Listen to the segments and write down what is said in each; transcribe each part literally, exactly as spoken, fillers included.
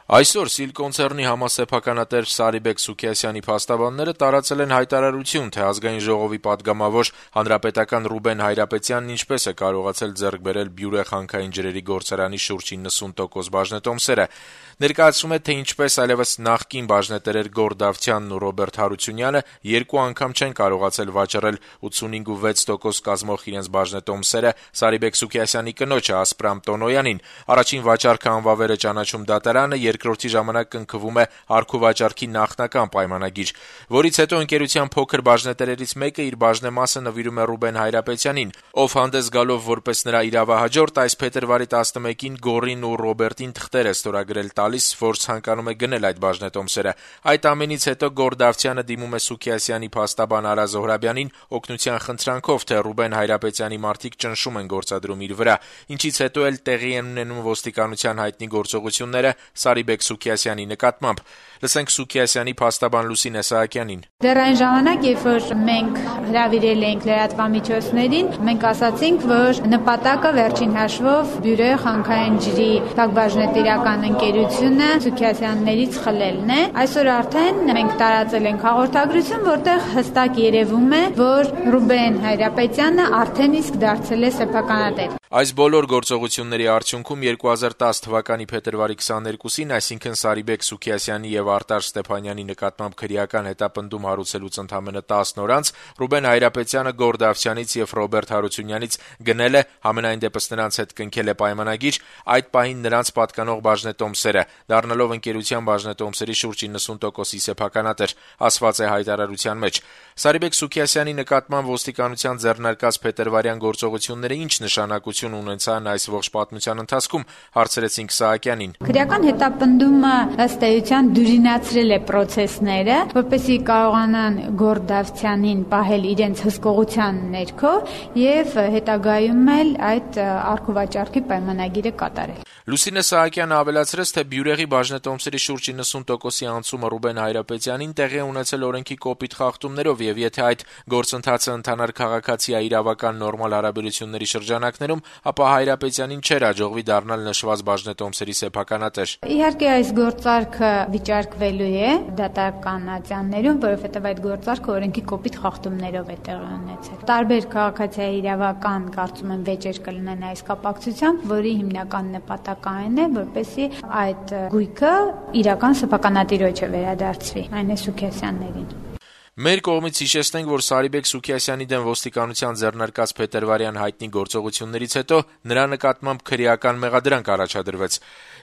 Այսօր Սիլ կոնցեռնի համասեփականատեր Սարիբեկ Սուքիասյանի փաստաբանները տարածել են հայտարարություն, թե Ազգային ժողովի պատգամավոր հանրապետական Ռուբեն Հայրապետյանն ինչպես է կարողացել ձեռք բերել Բյուրեղ հանքային ջրերի գործարանի շուրջ իննսուն տոկոս բաժնետոմսերը։ Ներկայացում է, թե ինչպես այլևս նախկին բաժնետերեր Գոռ Դավթյանն ու Ռոբերտ Հարությունյանը երկու անգամ չեն կարողացել վաճառել ութսունհինգ ու վեց տոկոս կազմող իրենց բաժնետոմսերը Սարիբեկ Սուքիասյանի կնոջը Ասպրամ Տոնոյանին։ Առաջին վաճառքը անվավեր է ճանաչում դատարանը, երկրորդի ժամանակ կնքվում է առքուվաճառքի նախնական պայմանագիր, որից հետո ընկերության փոքր բաժնետերերից մեկը իր բաժնեմասը նվիրում է Ռուբեն Հայրապետյանին, ով հանդես գալով որպես նրա իրավահաջորդ այս փետրվարի տասնմեկին Գոռին ու Ռոբերտին թղթեր է ստորագրել տալիս, որ ցանկանում է գնել այդ բաժնետոմսերը։ Այդ ամենից հետո Գոռ Դավթյանը դիմում է Սուքիասյանի փաստաբան Արա Զոհրաբյանին օգնության խնդրանքով, թե Ռուբեն Հայրապետյանի մարդիկ ճնշում են գործադրում իր վրա, ինչից հետո էլ տեղի են ունենում ոստիկանության հայտնի գործողությունները Սարիբեկ Սուքիասյանի նկատմամբ։ Լսենք Սուքիասյանի փաստաբան Լուսինե Սահակյանին։ Դեռ այն ժամանակ, երբ որ մենք հրավիրել էինք լրատվամիջոցներին, մենք ասացինք, որ նպատակը վերջին հաշվով Բյուրեղ հանքային ջրի բաժնետիրական ընկերությունը Սուքիասյաններից խլելն է։ Այսօր արդեն մենք տարածել ենք հաղորդագրություն, որտեղ հստակ երևում է, որ Ռուբեն Հայրապետյանը արդեն իսկ դարձել է սեփականատեր։ Այս բոլոր գործողությունների արդյունքում երկու հազար տասը թվականի փետրվարի քսաներկուսին, այսինքն Սարիբեկ Սուքիասյանի եւ Արտաշ Ստեփանյանի նկատմամբ քրեական հետապնդում հարուցելուց ընդամենը տասն օր անց Ռուբեն Հայրապետյանը Գոռ Դավթյանից եւ Ռոբերտ Հարությունյանից գնել է, համենայն դեպս նրանց հետ կնքել է պայմանագիր, այդ պահին նրանց պատկանող բաժնետոմսերը, դառնալով ընկերության բաժնետոմսերի շուրջ իննսուն տոկոսի սեփականատեր, ասված է հայտարարության մեջ։ Սարիբեկ Սուքիասյանի նկատմամբ ոստիկանության ձեռնարկած փետրվարյան գործողությունները ինչ նշանակություն ունեցան այս ողջ պատմության ընթացքում, հարցրեցինք Սահակյանին։ Քրեական հետապնդումը ըստ էության դյուրինացրել է process-ները, որպեսզի կարողանան Գոռ Դավթյանին պահել իրենց հսկողության ներքո եւ հետագայում էլ այդ առքուվաճառքի պայմանագիրը կատարել։ Լուսինե Սահակյանը ավելացրեց, թե Բյուրեղի բաժնետոմսերի շուրջ իննսուն տոկոսի անցումը Ռուբեն Հայրապետյանին տեղի ունեցել օրենքի կոպիտ խախտումներով եւ եթե այդ գործընթացը ընթանար քաղաքացիա իրավական նորմալ հարաբերությունների շրջանակներում, ապա Հայրապետյանին չէր հաջողվի դառնալ նշված բաժնետոմսերի սեփականատեր։ Իհարկե այս գործարքը վիճարկվելու է դատական ատյաններում, որովհետեւ այդ գործարքը օրենքի կոպիտ խախտումներով է տեղի ունեցել։ Տարբեր քաղաքացիա իրավական կարծում եմ վեճեր կլինեն այս կապակցությամբ, որի հիմնական նպատակը այն է, որպեսզի այդ գույքը իրական սեփականատիրոջը վերադարձվի, այն է Սուքիասյաններին։ Մեր կողմից հիշեցնենք, որ Սարիբեկ Սուքիասյանի դեմ ոստիկանության ձեռնարկած փետրվարյան հայտնի գործողություններից հետո նրա նկատմամբ քրեական մեղադրանք առաջադրվեց։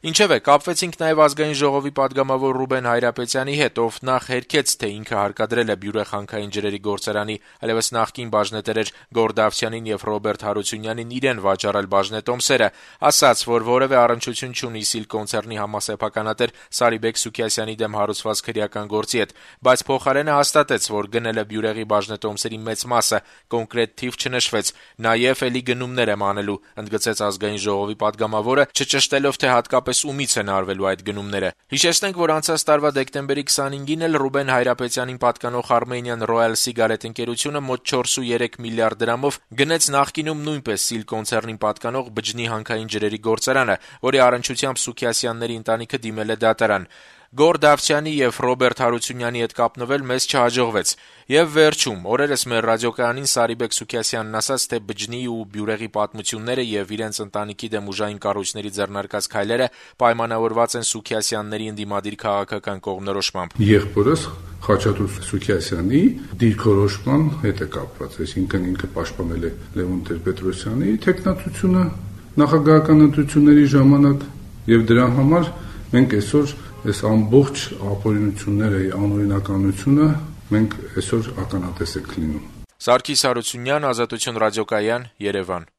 Ինչևէ, կապվեցինք նաև Ազգային ժողովի պատգամավոր Ռուբեն Հայրապետյանի հետ, ով նախ հերքեց, թե ինքը հարկադրել է Բյուրեղ հանքային ջրերի գործարանի այլևս նախկին բաժնետերեր Գոռ Դավթյանին եւ Ռոբերտ Հարությունյանին իրեն վաճառել բաժնետոմսերը, ասաց, որ որևէ առնչություն չունի Սիլ կոնցեռնի համասեփականատեր Սարիբեկ Սուքիասյանի դեմ հարուցված քրեական գործի հետ, բայց փոխարենը հաստատեց, որ գնել է Բյուրեղի բաժնետոմսերի մեծ մասը, կոնկրետ թիվ չնշվեց, նաև էլի գնումներ եմ անելու, ընդգծեց Ազգային ժողովի պատգամավորը, չճշտելով, թե հատկապես ումից են արվելու այդ գնումները։ Հիշեցնենք, որ անցած տարվա դեկտեմբերի քսանհինգին էլ Ռուբեն Հայրապետյանին պատկանող Armenian Royal Cigarette ընկերությունը մոտ չորս ու երեք միլիարդ դրամով գնեց նախկինում նույնպես Սիլ կոնցեռնին պատկանող Բջջնի հանքային ջրերի գործարանը, որի առնչությամբ Սուքիասյանների ընտանիքը դիմել է դատարան։ Գոռ Դավթյանի եւ Ռոբերտ Հարությունյանի հետ կապնվել մեզ չհաջողվեց։ Եվ վերջում, օրերս մեր ռադիոկայանին Սարիբեկ Սուքիասյանն ասաց, թե Բջջնի ու Բյուրեղի պատմությունները եւ իրենց ընտանիքի դեմ ուժային կառույցների ձեռնարկած քայլերը պայմանավորված են Սուքիասյանների ընդդիմադիր քաղաքական կողմնորոշմամբ։ Եղբորս Խաչատուր Սուքիասյանի դիրքորոշման հետ է կապված, այսինքն ինքը պաշտպանել է Լևոն Տեր-Պետրոսյանի թեկնածությունը նախագահական ընտրությունների ժամանակ եւ դրա համար մենք այսօր այս ամբողջ ապօրինությունները, անօրինականությունը մենք այսօր ականատես ենք լինում։ Սարգիս Հարությունյան, Ազատություն ռադիոկայան, Երևան։